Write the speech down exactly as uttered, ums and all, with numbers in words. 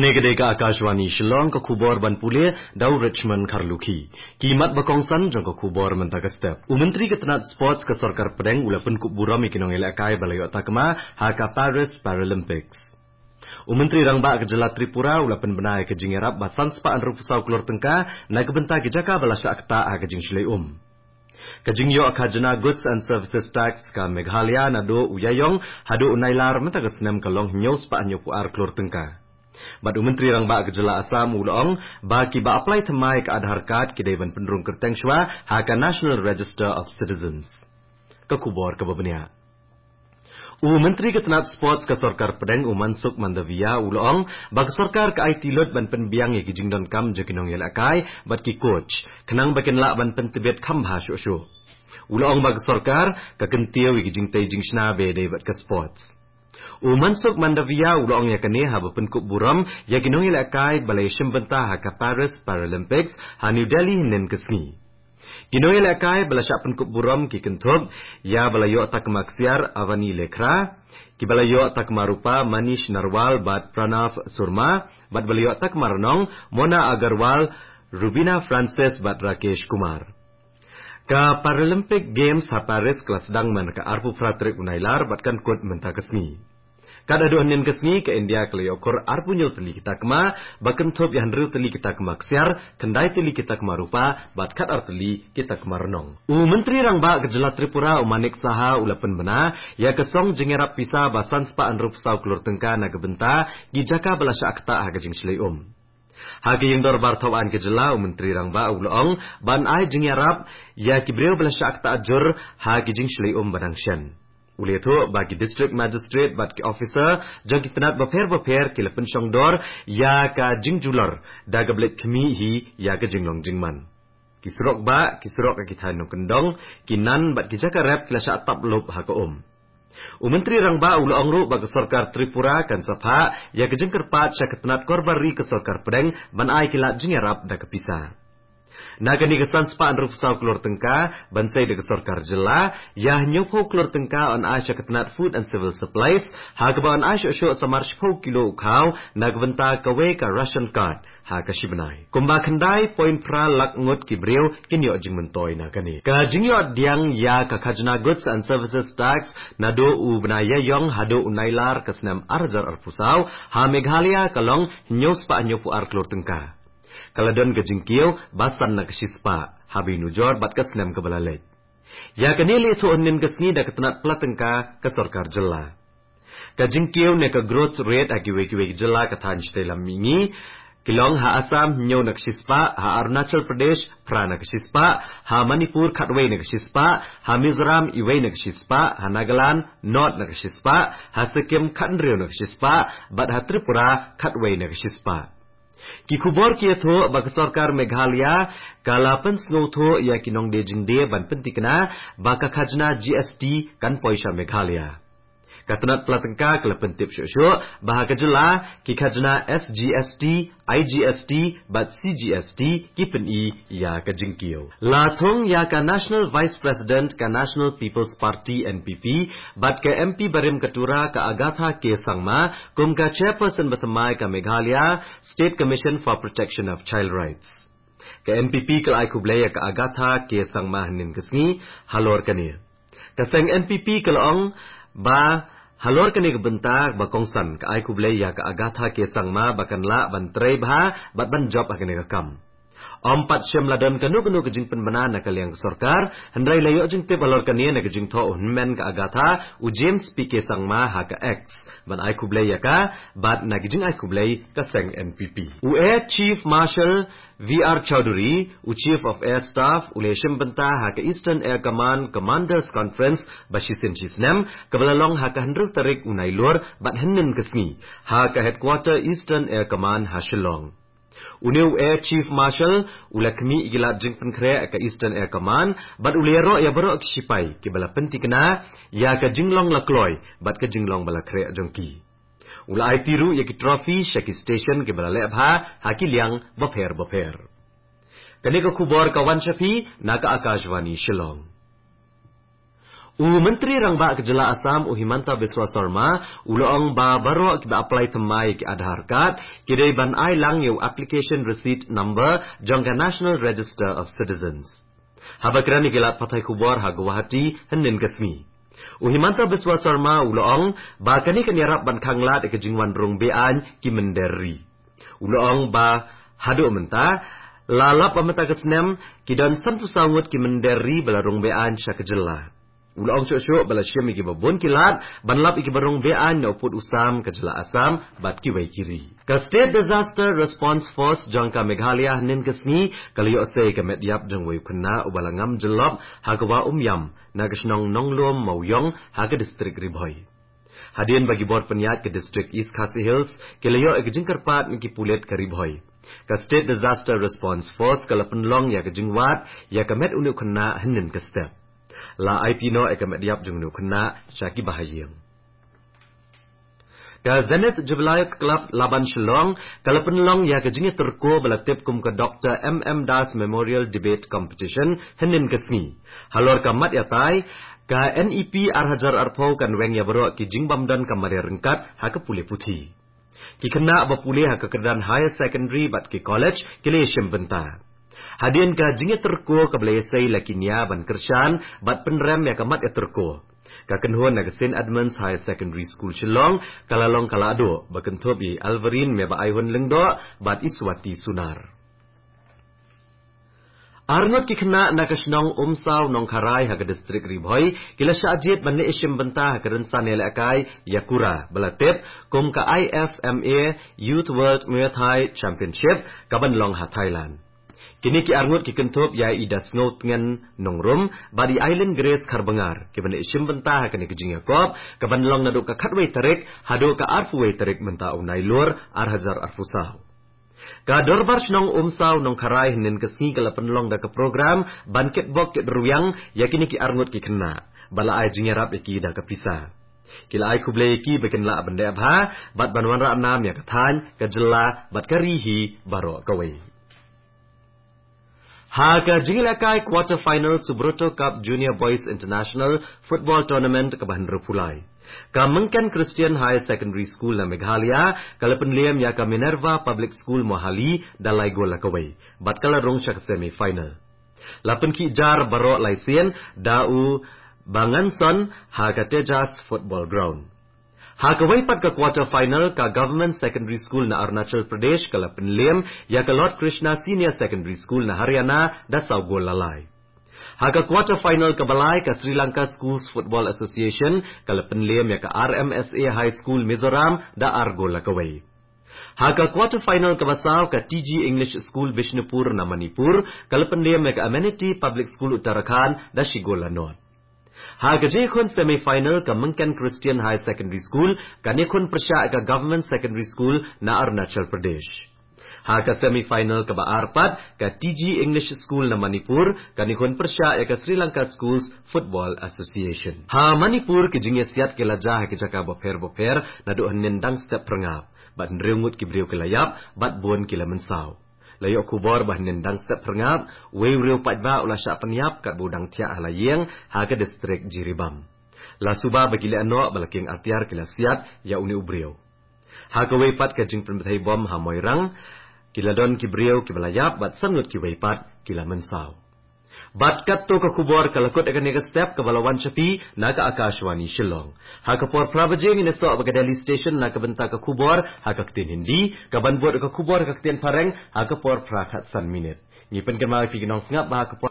Ka dei ka Akashvani Shillong, ka khubor ban pule da u Richmond Kharlukhi. Ki mat ba kongsan jong ka khubor mynta ka step. U Myntri ka tnat Sports ka Sorkar Pdeng u la pynkup burom ïa ki nongïalehkai ba la ïoh takma ha ka Paris Paralympics. U Myntri Rangbah ka Jylla Tripura u la pynbna ïa ka jingïarap ba san spah hynriewphew saw klur tyngka na ka bynta ki jaka ba la shah ktah ha ka jingshlei um. Ka jingïoh khajna Goods and Services Tax ka Meghalaya naduh u Ïaïong haduh u Nailar mynta ka snem ka long hynñiew spah hynñiewphew ar klur tyngka. Bad u Myntri Rangbah ka Jylla Assam u la ong ba kiba apply thymmai ka Aadhaar card ki dei ban pynrung kyrteng shuwa ha ka National Register of Citizens. Ka khubor kaba bniah. U Myntri ka tnat Sports ka Sorkar Pdeng u Mansukh Mandaviya u la ong ba ka sorkar ka aiti lut ban pynbiang ïa ki jingdonkam jong ki nongïalehkai bad ki coach, khnang ba kin lah ban pyntbit kham bha shuh shuh. U la ong ba ka sorkar ka kyntiew ïa ki jingtei jingshna ba ïadei bad ka sports. U Mansukh Mandaviya u la ong ïa kane haba pynkup burom ïa ki nongïalehkai ba la ïashim bynta ha ka Paris Paralympics ha New Delhi hynnin ka sngi. Ki nongïalehkai ba la shah pynkup burom ki kynthup ïa ba la ïoh takma ksiar Avani Lekhara, kiba la ïoh takma rupa Manish Narwal bad Pranav Surma, bad ba la ïoh takma rnong Mona Agarwal, Rubina Francis bad Rakesh Kumar. Ka Paralympic Games ha Paris ka la sdang man ka arphew phra tarik u Nailar bad kan kut mynta ka sngi. Katba haduh hynnin ka sngi ka India ka la ïoh khur arphew hynñiew tylli ki takma, ba kynthup ïa hynriew tylli ki takma ksiar, khyndai tylli ki takma rupa bad khatar tylli ki takma rnong. U Myntri Rangbah ka Jylla Tripura u Manik Saha u la pynbna ïa ka song jingïarap pisa ba san spah hynriewphew saw klur tyngka na ka bynta ki jaka ba la shah ktah ha ka jingshlei um. Ha ka ïing dorbar thawaiñ ka jylla u Myntri Rangbah u la ong ban ai jingïarap ïa ki briew ba la shah ktah jur ha ki jingshlei um ba dang shen. U la ïathuh ba ki District Magistrate bad ki officer jong ki tnat bapher bapher ki la pynshong dor ïa ka jingjulor da kaba leit khmih hi ïa ka jinglong jingman. Ki surok bah, ki surok ha ki thaiñ nongkyndong, ki nan bad ki jaka rep ki la shah tap lup ha ka um. U Myntri Rangbah u la ong ruh ba ka sorkar Tripura kan sa phah ïa ka jingkyrpad sha ka tnat korbar ri ka Sorkar Pdeng ban ai ki lad jingïarap da ka pisa. Na kane ka san spah hynriewphew saw klur tyngka ban sei da ka sorkar jylla, ïa hynñiewphew klur tyngka yn ai sha ka tnat Food and Civil Supplies, ha kaba yn ai shuh shuh samar shiphew kilo u khaw na ka bynta kawei ka ration card ha ka shi bnai. Kumba khyndai point phra lak ngut ki briew kin ïoh jingmyntoi na kane. Ka jingïoh pdiang ïa ka khajna Goods and Services Tax naduh u bnai Ïaïong haduh u Nailar ka snem ar hajar arphew saw ha Meghalaya ka long hynñiew spah hynñiewphew ar klur tyngka. Ka la don ka jingkiew ba san na ka shi spah, haba ïanujor bad ka snem kaba la leit. Ïa kane la ïathuh hynnin ka sngi da ka tnat pla tyngka ka sorkar jylla. Ka jingkiew ne ka growth rate ha kiwei kiwei ki jylla ka thaiñ shatei lam mihngi ki long ha Assam hynñiew na ka shi spah, ha Arunachal Pradesh phra na ka shi spah, ha Manipur khatwei na ka shi spah, ha Mizoram iwei na ka shi spah, ha Nagaland nod na ka shi spah, ha Sikkim khathynriew na ka shi spah, bad ha Tripura khatwei na ka shi spah. Ki khubor ki ïathuh ba ka sorkar Meghalaya ka la pynsngewthuh ïa ki nongdie jingdie ban pyntikna ba ka khajna G S T kan poi sha Meghalaya. Ka tnat pla tyngka ka la pyntip shuh shuh ba ha ka jylla ki khajna S G S T, I G S T bad C G S T ki pyni ïa ka jingkiew. La thung ïa ka National Vice President ka National People's Party, N P P, bad ka M P barim ka Tura ka Agatha K Sangma kum ka chairperson bathymmai ka Meghalaya State Commission for Protection of Child Rights. Ka N P P ka la ai khublei ïa ka Agatha K Sangma hynnin ka sngi halor kane. Ka seng N P P ka la ong ba halor kane ka bynta ba kongsan ka ai khublei ïa ka Agatha K Sangma ba kan lah ban trei bha bad ban jop ha kane ka kam. Ym pat shym la don kano kano ka jingpynbna na ka liang ka sorkar, hynrei la ïoh jingtip halor kane na ka jingthoh u hynmen ka Agatha, u James P K Sangma, ha ka X ban ai khublei ïa ka, bad na ka jingai khublei ka seng N P P. U Air Chief Marshal V R Chaudhary, u Chief of Air Staff, u la shim bynta ha ka Eastern Air Command Commanders Conference ba shisien shi snem kaba la long ha ka hynriew tarik u Nailur bad hynnin ka sngi ha ka headquarter Eastern Air Command ha Shillong. Une u Air Chief Marshal u la khmih ïa ki lad jingpynkhreh ka Eastern Air Command bad u la ïaroh ïa baroh ki shipai kiba la pyntikna ïa ka jinglong la kloi bad ka jinglong ba la khreh jong ki. U la aiti ruh ïa ki trophy sha ki station kiba la leh bha ha ki liang bapher bapher. Kane ka khubor ka wan sha phi na ka Akashvani Shillong. U Myntri Rangbah ka jylla Assam, u Himanta Biswa Sarma, u la ong ba baroh kiba apply thymmai ki Aadhaar card ki dei ban ai lang ïa u application receipt number jong ka National Register of Citizens. Haba kren ïa ki lad pathai khubor ha Guwahati hynnin ka sngi, u Himanta Biswa Sarma u la ong ba kane kan ïarap ban khanglad ïa ka jingwan rung beaiñ ki mynder ri. U la ong ba haduh mynta, la lap ba mynta ka snem, ki don sanphew saw ngut ki mynder ri ba la rung beaiñ sha ka jylla. U la ong shuh shuh ba la shim ïa kiba bun ki lad ban lap ïa kiba rung beaiñ na u pud u sam ka jylla Assam bad kiwei ki ri. Ka State Disaster Response Force jong ka Meghalaya hynnin ka sngi ka la ïoh sei ka met ïap jong uwei u khynnah uba la ngam jyllop ha ka wah Umïam na ka shnong Nonglum Mawiong ha ka distrik Ri Bhoi. Hadien ba ki bor pynïaid ka distrik East Khasi Hills ki la ïoh ïa ka jingkyrpad na ki pulit ka Ri Bhoi, ka State Disaster Response Force ka la pynlong ïa ka jingwad ïa ka met une u khynnah hynnin ka step. La aiti noh ïa ka met ïap jong une u khynnah sha ki bahaïing. Ka Zenith Jubilee Club Laban Shillong ka la pynlong ïa ka jingïatyrko ba la tip kum ka Doctor M M Das Memorial Debate Competition hynnin ka sngi. Halor ka mat ïatai, ka N E P ar hajar arphew kan weng ïa baroh ki jingbym don ka mareh ryngkat ha ka pule puthi. Ki khynnah ba pule ha ka kyrdan higher secondary bad ki college ki la ïashim bynta. Hadien ka jingïatyrko kaba la ïasei la ki nia ban kyrshan bad pynrem ïa ka mat ïatyrko. Ka kynhun na ka Saint Edmund's Higher Secondary School Shillong ka la long ka la duh ba kynthup ïa i Alvarine Mebaihun Lyngdoh bad i Swati Sunar. Arngut ki khynnah na ka shnong Umsaw Nongkharai ha ka distrik Ri Bhoi ki la shah jied ban leit shim bynta ha ka rynsan ïalehkai ïa kura ba la tip kum ka I F M A Youth World Muay Thai Championship kaban long ha Thailand. Kine ki arngut ki kynthup ïa i Dasngew Tngen Nongrum bad i Aileen Grace Kharbyngar kiban leit shim bynta ha kane ka jingïakop kaban long naduh ka khatwei tarik haduh ka arphew wei tarik mynta u Nailur ar hajar arphew saw. Ka Dorbar Shnong Umsaw Nongkharai hynnin ka sngi ka la pynlong da ka program ban kitbok kitrwiang ïa kine ki arngut ki khynnah bad la ai jingïarap ïa ki da ka pisa. Ki la ai khublei ïa ki ba kin lah ban leh bha bad ban wanrah nam ïa ka thaiñ, ka jylla bad ka ri hi baroh kawei. Ha ka jingïalehkai quarter final Subroto Cup Junior Boys International Football Tournament kaba hynriewphew lai, ka Myngken Christian Higher Secondary School na Meghalaya ka la pynliem ïa ka Minerva Public School Mohali da lai gol la kawei bad ka la rung sha ka semi final. La pynkhih jar baroh lai sien da u Banganson ha ka Tejas Football Ground. Ha kawei pat ka quarter final, ka Government Secondary School na Arunachal Pradesh ka la pynliem ïa ka Lord Krishna Senior Secondary School na Haryana da saw gol la lai. Ha ka quarter final kaba lai, ka Sri Lanka Schools Football Association ka la pynliem ïa ka R M S A High School Mizoram da ar gol la kawei. Ha ka quarter final kaba saw, ka T G English School Bishnupur na Manipur ka la pynliem ïa ka Amenity Public School Uttarakhand da shi gol la nod. Ha ka jingïakhun semi final, ka Myngken Christian High Secondary School kan ïakhun pyrshah ïa ka Government Secondary School na Arunachal Pradesh. Ha ka semi final kaba ar pat, ka T G English School na Manipur kan ïakhun pyrshah ïa ka Sri Lanka Schools Football Association. Ha Manipur ki jingïasiat ki la jia ha ki jaka bapher bapher naduh hynnin dang step phyrngap bad hynriew ngut ki briew ki la ïap bad bun ki la mynsaw. La ïoh khubor ba hynnin dang step phyrngap, uwei u riew paidbah u la shah pynïap katba u dang thiah ha la ïing ha ka distrik Jiribam. La suba ba ki lehnoh ba la kieng atiar ki la siat ïa une u briew. Ha kawei pat ka jingpynbthei bom ha Moirang, ki la don ki briew kiba la ïap bad san ngut kiwei pat ki la mynsaw. Bad katto ka khubor ka la kut ha kane ka step kaba la wan sha phi na ka Akashvani Shillong. Ha ka por phra baje ngin ïasoh bad ka Delhi Station na ka bynta ka khubor ha ka ktien Hindi, kaban bud ka khubor ha ka ktien Phareng ha ka por phra khatsan minit. Ngi pynkynmaw ïa phi ki nongsngap ba ha ka por